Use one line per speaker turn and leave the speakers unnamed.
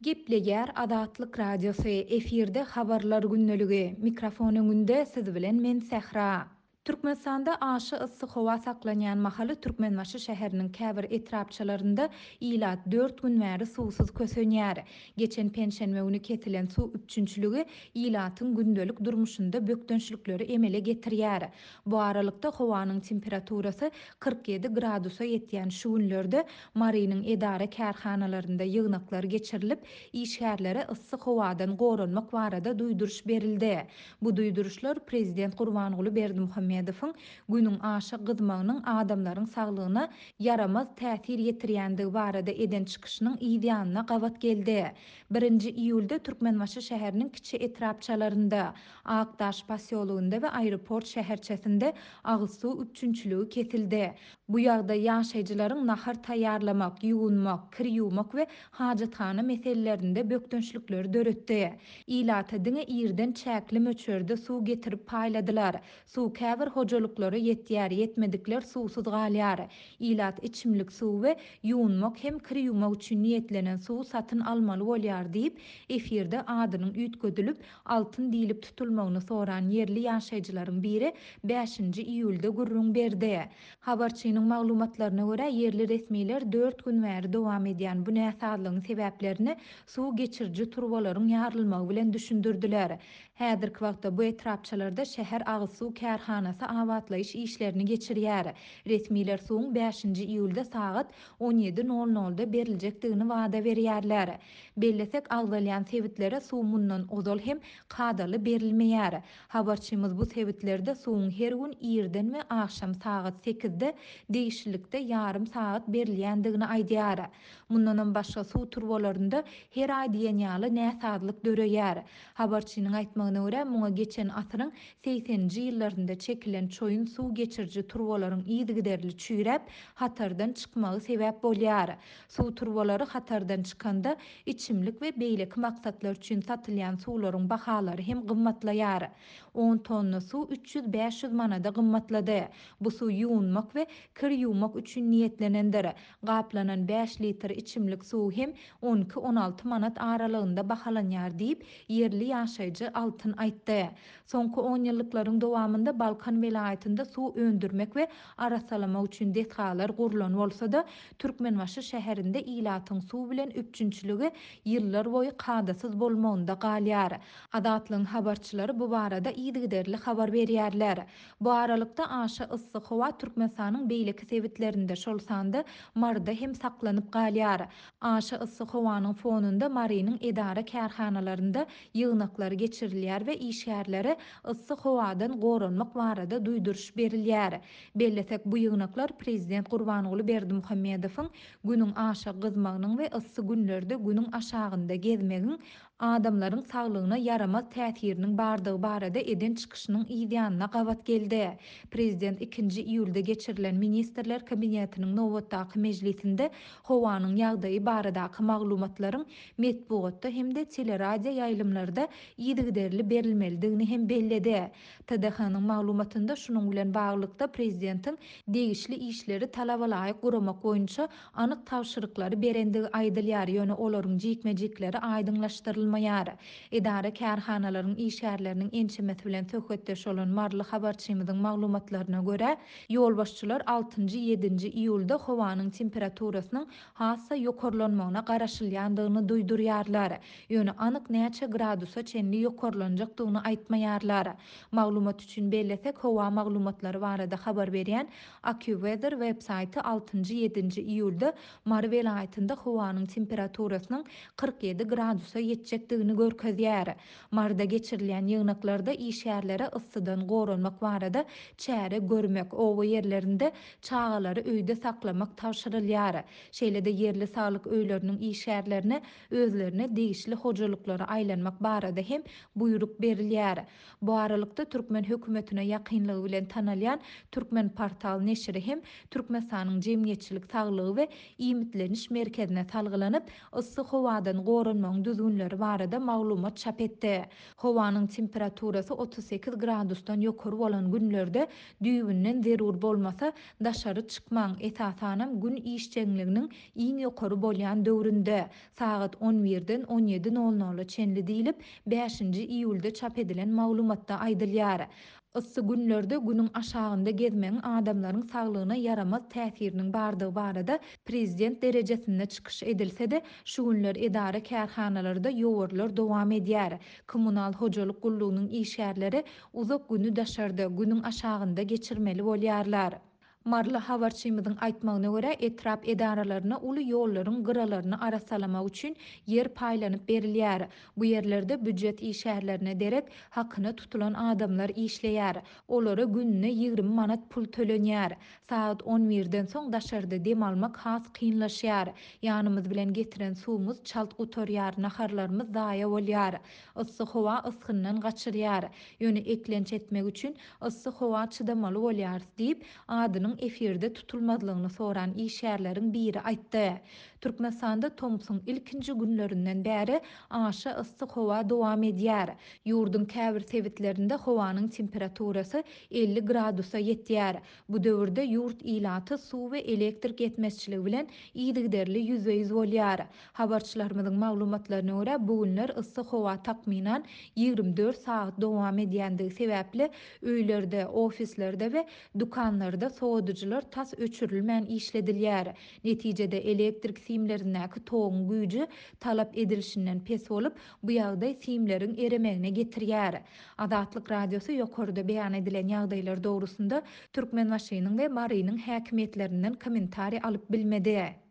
Gepleýär Azatlyk Radiosy, efirde Habarlar gündeligi, mikrofon öňünde siz bilen men Sähra. Türkmenistanda aşa yssy howa saklanýan mahaly Türkmenbaşy şäheriniň käbir etrapçalarynda ilat dört gün bäri suwsuz kösenýär. Geçen penşenbe güni kesilen suw üpjünçiligi ilatyň gündelik durmuşynda bökdençlikleri emele getirýär. Bu aralykda, howanyň temperaturasy 47 gradusa ýetýän şu günlerde Marynyň edara-kärhanalarynda ýygnaklar geçirilip, işgärlere yssy howadan goranmak barada duýduryş berildi. Bu duýduryşlar prezident Gurbanguly Berdimuhamedowyň Günüň aşa gyzmagynyň adamlaryň saglygyna ýaramaz täsir ýetirýändigi barada eden çykyşynyň yz ýanyna gabat geldi. Birinji iýulda Türkmenbaşy şäheriniň kiçi etrapçalarynda, Akdaş posýologynda we aeroport şäherçesinde agyz suw üpjünçiligi kesildi. Bu ýagdaý ýaşaýjylaryň nahar taýýarlamak, ýuwunmak, kir ýuwmak we hajathana meselelerinde bökdençlikleri döretdi. Ilata diňe irden çäkli möçberde suw getirip paýladylar. Suw käbir hojalyklara ýetýär, ýetmedikler suwsuz galýar. Ilat içimlik suwy we ýuwunmak hem kir ýuwmak üçin niýetlenen suwy satyn almaly bolýar diýip, efirde adynyň üýtgedilip, Altyn diýlip tutulmagyny soran ýerli ýaşaýjylaryň biri bäşinji iýulda gürrüň berdi. Habarçynyň maglumatlaryna görä, ýerli resmiler dört gün bäri dowam edýän bu näsazlygyň sebäplerini suw geçiriji turbalaryň ýarylmagy bilen düşündirdiler. Häzirki wagtda bu etrapçalarda şäher agyz suw kärhanasy abatlaýyş işlerini geçirýär. Resmiler suwuň bäşinji iýulda sagat on ýedi nol nolda beriljekdigini wada berýärler. Bellesek, agzalýan sebitlere suw mundan ozal hem kadaly berilmeýär. Habarçymyz bu sebitlerde suwuň her gün irden we agşam sagat sekizde degişlilikde ýarym sagat berilýändigini aýdýar. Mundanam başga suw turbalarynda her aý diýen ýaly näsazlyk döreýär. Habarçynyň aýtmagyna görä, muňa geçen asyryň segseninji ýyllarynda çekilen çoýun suw geçiriji turbalaryň yzygiderli çüýräp, hatardan çykmagy sebäp bolýar. Suw turbalary hatardan çykanda, içimlik we beýleki maksatlar üçin satylýan suwlaryň bahalary hem gymmatlaýar. On tonna suw 300-500 manada gymmatlady. Bu suw ýuwunmak we kir ýuwmak üçin niýetlenendir. Gaplanan bäş litr içimlik suwy hem on iki-on alty manat aralygynda bahalanýar diýip, ýerli ýaşaýjy Altyn aýtdy. Soňky onýyllyklaryň dowamynda Balkan welaýatynda suw öndürmek we arassalamak üçin desgalar gurlan bolsa-da, Türkmenbaşy şäherinde ilatyň suw bilen üpjünçiligi ýyllar boýy kadasyz bolmagynda galýar. Azatlygyň habarçylary bu barada yzygiderli habar berýärler. Bu aralykda, aşa yssy howa Türkmenistanyň beýleki sebitlerinde, şol sanda Maryda hem saklanyp galýar. Aşa yssy howanyň fonunda Marynyň edara-kärhanalarynda ýygnaklar geçirilýär we işgärlere yssy howadan goranmak barada duýduryş berilýär. Bellesek, bu ýygnaklar prezident Gurbanguly Berdimuhamedowyň Günüň aşa gyzmagynyň we yssy günlerde Günüň aşagynda gezmegiň adamlaryň saglygyna ýaramaz täsiriniň bardygy barada eden çykyşynyň yzýanyna gabat geldi. Prezident ikinji iýulda geçirilen Ministrler Kabinetiniň nobatdaky mejlisinde howanyň ýagdaýy baradaky maglumatlaryň metbugatda hem-de teleradioýaýlymlarda yzygiderli berilmelidigini hem belledi. TDH-nyň maglumatynda şunuň bilen baglylykda prezidentiň degişli işleri talabalaýyk guramak boýunça anyk tabşyryklary berendigi aýdylýar, ýöne olaryň jikme-jikleri aýdyňlaşdyrylmaýar. Edara-kärhanalaryň işgärleriniň ençemesi bilen söhbetdeş bolan maryly habarçymyzyň maglumatlaryna görä, ýolbaşçylar altynjy, ýedinji iýulda howanyň temperaturasynyň has-da ýokarlanmagyna garaşylýandygyny duýdurýarlar. Ýöne anyk näçe gradusa çenli ýokarlanjakdygyny aýtmaýarlar. Maglumat üçin bellesek, howa maglumatlary barada habar berýän AccuWeather web-saýty altynjy, ýedinji iýulda Mary welaýatynda howanyň temperaturasynyň 47 gradusa ýetjekdigini görkezýär. Maryda geçirilýän ýygnaklarda işgärlere yssydan goranmak barada çäre görmek, oba ýerlerinde çagalary öýde saklamak tabşyrylýar. Şeýle-de ýerli saglyk öýleriniň işgärlerine özlerine degişli hojalyklara aýlanmak barada hem buýruk berilýär. Bu aralykda, türkmen hökümetine ýakynlygy bilen tanalýan Türkmenportal neşiri hem Türkmenistanyň Jemgyýetçilik saglygy we iýmitleniş merkezine salgylanyp, yssy howadan goranmagyň düzgünleri. barada maglumat çap etdi. Howanyň temperaturasy 38 gradusdan ýokary bolan günlerde düýbünden zerur bolmasa, daşary çykmaň, esasanam gün işjeňliginiň iň ýokary bolýan döwründe, sagat on birden on ýedi nol nola çenli diýlip, bäşinji iýulda çap edilen maglumatda aýdylýar. Yssy günlerde günüň aşagynda gezmegiň adamlaryň saglygyna ýaramaz täsiriniň bardygy barada prezident derejesinde çykyş edilse-de, şu günler edara-kärhanalarda ýowarlar dowam edýär. Kommunal hojalyk gullugynyň işgärleri uzak güni daşarda, günüň aşagynda geçirmeli bolýarlar. Maryly habarçymyzyň aýtmagyna görä, etrap edaralaryna uly ýollaryň gyralaryny arassalamak üçin ýer paýlanyp berilýär. Bu ýerlerde býujet işgärlerine derek hakyna tutulan adamlar işleýär. Olara gününe 20 manat pul tölenýär. Sagat on birden soň daşarda dem almak has kynlaşýar. Ýanymyz bilen getiren suwumyz çalt gutarýar, naharlarymyz zaýa bolýar. Yssy howa ysgyndan gaçyrýar. Ýöne eklenç etmek üçin yssy howa çydamaly bolýarys diýip, adynyň efirde tutulmazlygyny soran işgärleriň biri aýtdy. Türkmenistanda tomsuň ilkinji günlerinden bäri aşa yssy howa dowam edýär. Ýurduň käbir sebitlerinde howanyň temperaturasy 50 gradusa ýetýär. Bu döwürde ýurt ilaty suw we elektrik ýetmezçiligi bilen yzygiderli ýüzbe-ýüz bolýar. Habarçylarymyzyň maglumatlaryna görä, bu günler yssy howa takmynan 24 sagat dowam edýändigi sebäpli, öýlerde, ofislerde we dükanlarda sowadyjylar tas öçürilmän işledilýär. Netijede, elektrik simlerindäki toguň güýji talap edilişinden pes bolup, bu ýagdaý simleriň eremegine getirýär. Azatlyk Radiosy ýokarda beýan edilen ýagdaýlar dogrusynda Türkmenbaşynyň we Marynyň häkimiýetlerinden kommentariý alyp bilmedi.